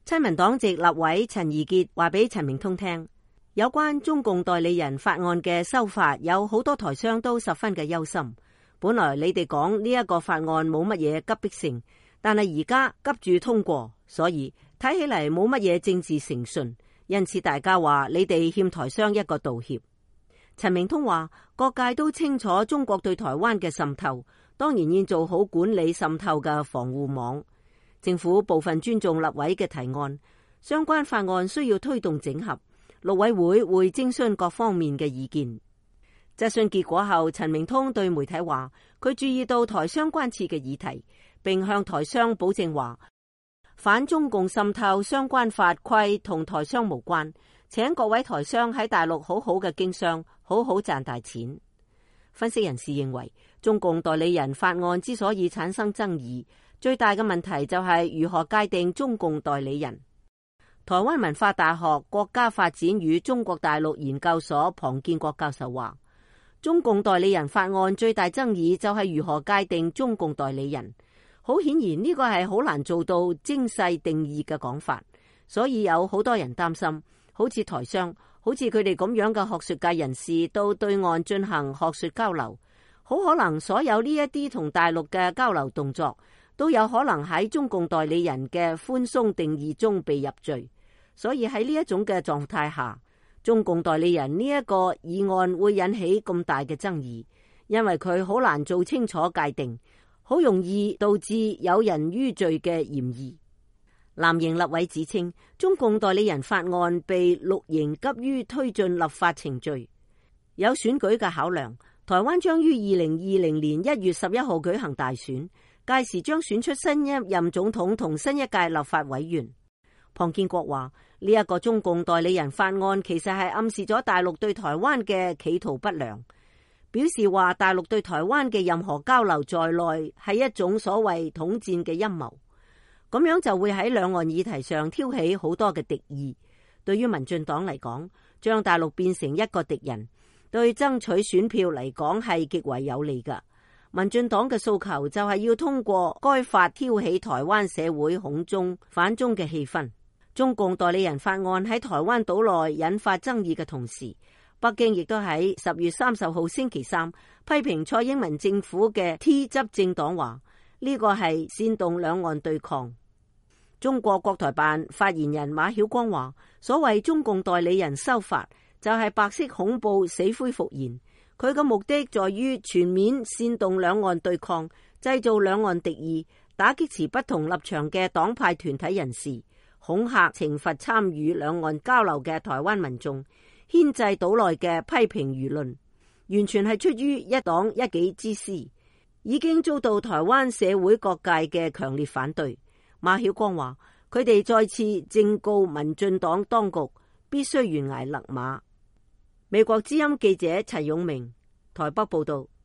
親民黨籍立委陳怡潔話俾陳明通聽，有關中共代理人法案嘅修法，有好多台商都十分嘅憂心。本來你哋講呢一個法案冇乜嘢急迫性，但係而家急住通過，所以睇起嚟冇乜嘢政治誠信，因此大家話你哋欠台商一個道歉。陳明通話，各界都清楚中國對台灣嘅滲透，當然要做好管理滲透嘅防護網。政府部分尊重立委嘅提案，相關法案需要推動整合，陸委會會徵詢各方面嘅意見。質詢結果後，陳明通對媒體話，佢注意到台商關切嘅議題，並向台商保證話，反中共滲透相關法規同台商無關，請各位台商喺大陸好好嘅經商，好好賺大錢。分析人士認為，中共代理人法案之所以產生爭議，最大嘅問題就係如何界定中共代理人。台灣文化大學國家發展與中國大陸研究所龐建國教授話，中共代理人法案最大爭議就係如何界定中共代理人。好顯然呢個係好難做到精細定義嘅講法，所以有好多人擔心，好似台商，好似佢哋咁樣嘅學術界人士到對岸進行學術交流，好可能所有呢一啲同大陸嘅交流動作都有可能喺中共代理人嘅寬鬆定義中被入罪。所以喺呢一種嘅狀態下，中共代理人呢一個議案會引起咁大嘅爭議，因為佢好難做清楚界定，好容易導致有人於罪嘅嫌疑。藍營立委指稱，中共代理人法案被綠營急於推進立法程序，有選舉嘅考量。台灣將於2020年1月11號舉行大選，屆時將選出新一任總統同新一屆立法委員。龐建國話，呢一個中共代理人法案其實係暗示咗大陸對台灣嘅企圖不良，表示話大陸對台灣嘅任何交流在內係一種所謂統戰嘅陰謀，咁樣就會喺兩岸議題上挑起好多嘅敵意。對於民進黨嚟講，將大陸變成一個敵人，對爭取選票嚟講係極為有利㗎。民進黨嘅訴求就係要通過該法挑起台灣社會恐中反中嘅氣氛。中共代理人法案喺台灣島內引發爭議嘅同時，北京亦都喺10月30號星期三批評蔡英文政府嘅 T 執政黨話，呢個係煽動兩岸對抗。中國國台辦發言人馬曉光話，所謂中共代理人修法就係白色恐怖死灰復燃，佢嘅目的在於全面煽動兩岸對抗，製造兩岸敵意，打擊持不同立場嘅黨派團體人士，恐嚇懲罰參與兩岸交流嘅台灣民眾，牽制島內嘅批評輿論，完全係出於一黨一己之私，已經遭到台灣社會各界嘅強烈反對。馬曉光話，佢哋再次正告民進黨當局必須懸崖勒馬。美國之音記者陳勇明台北報道。